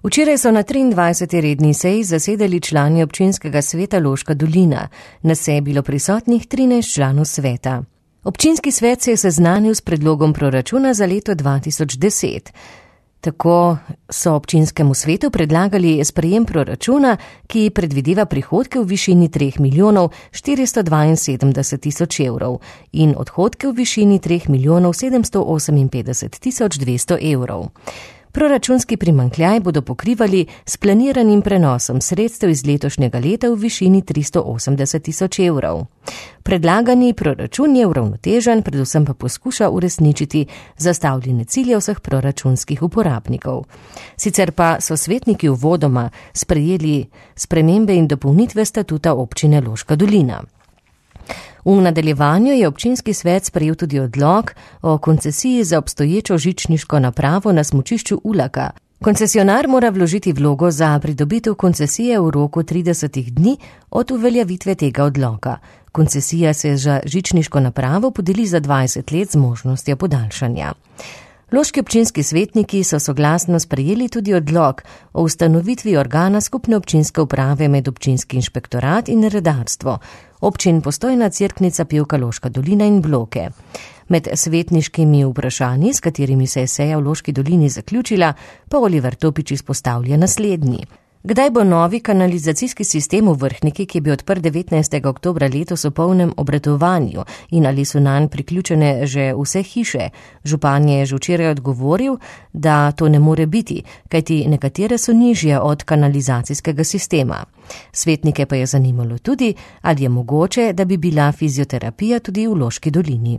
Včeraj so na 23. redni seji zasedali člani občinskega sveta Loška dolina. Na seji je bilo prisotnih 13 članov sveta. Občinski svet se je seznanil s predlogom proračuna za leto 2010. Tako so občinskemu svetu predlagali sprejem proračuna, ki predvideva prihodke v višini 3 milijonov 472 tisoč evrov in odhodke v višini 3 milijonov 758 tisoč 200 evrov. Proračunski primanjkljaj bodo pokrivali s planiranim prenosom sredstev iz letošnjega leta v višini 380 tisoč evrov. Predlagani proračun je uravnotežen, predvsem pa poskuša uresničiti zastavljene cilje vseh proračunskih uporabnikov. Sicer pa so svetniki uvodoma sprejeli spremembe in dopolnitve statuta občine Loška dolina. V nadaljevanju je občinski svet sprejel tudi odlok o koncesiji za obstoječo žičniško napravo na smučišču Ulaka. Koncesionar mora vložiti vlogo za pridobitev koncesije v roku 30 dni od uveljavitve tega odloka. Koncesija se za žičniško napravo podeli za 20 let z možnostjo podaljšanja. Loški občinski svetniki so soglasno sprejeli tudi odlok o ustanovitvi organa skupne občinske uprave med občinski inšpektorat in redarstvo, občin Postojna, Cerknica, Pivka, Loška dolina in Bloke. Med svetniškimi vprašanji, s katerimi se je seja v Loški dolini zaključila, pa Oliver Topič izpostavlja naslednji. Kdaj bo novi kanalizacijski sistem v Vrhniki, ki je bil odprt 19. oktobra letos v polnem obratovanju in ali so nanj priključene že vse hiše? Župan je že včeraj odgovoril, da to ne more biti, kajti nekatere so nižje od kanalizacijskega sistema. Svetnike pa je zanimalo tudi, ali je mogoče, da bi bila fizioterapija tudi v Loški dolini.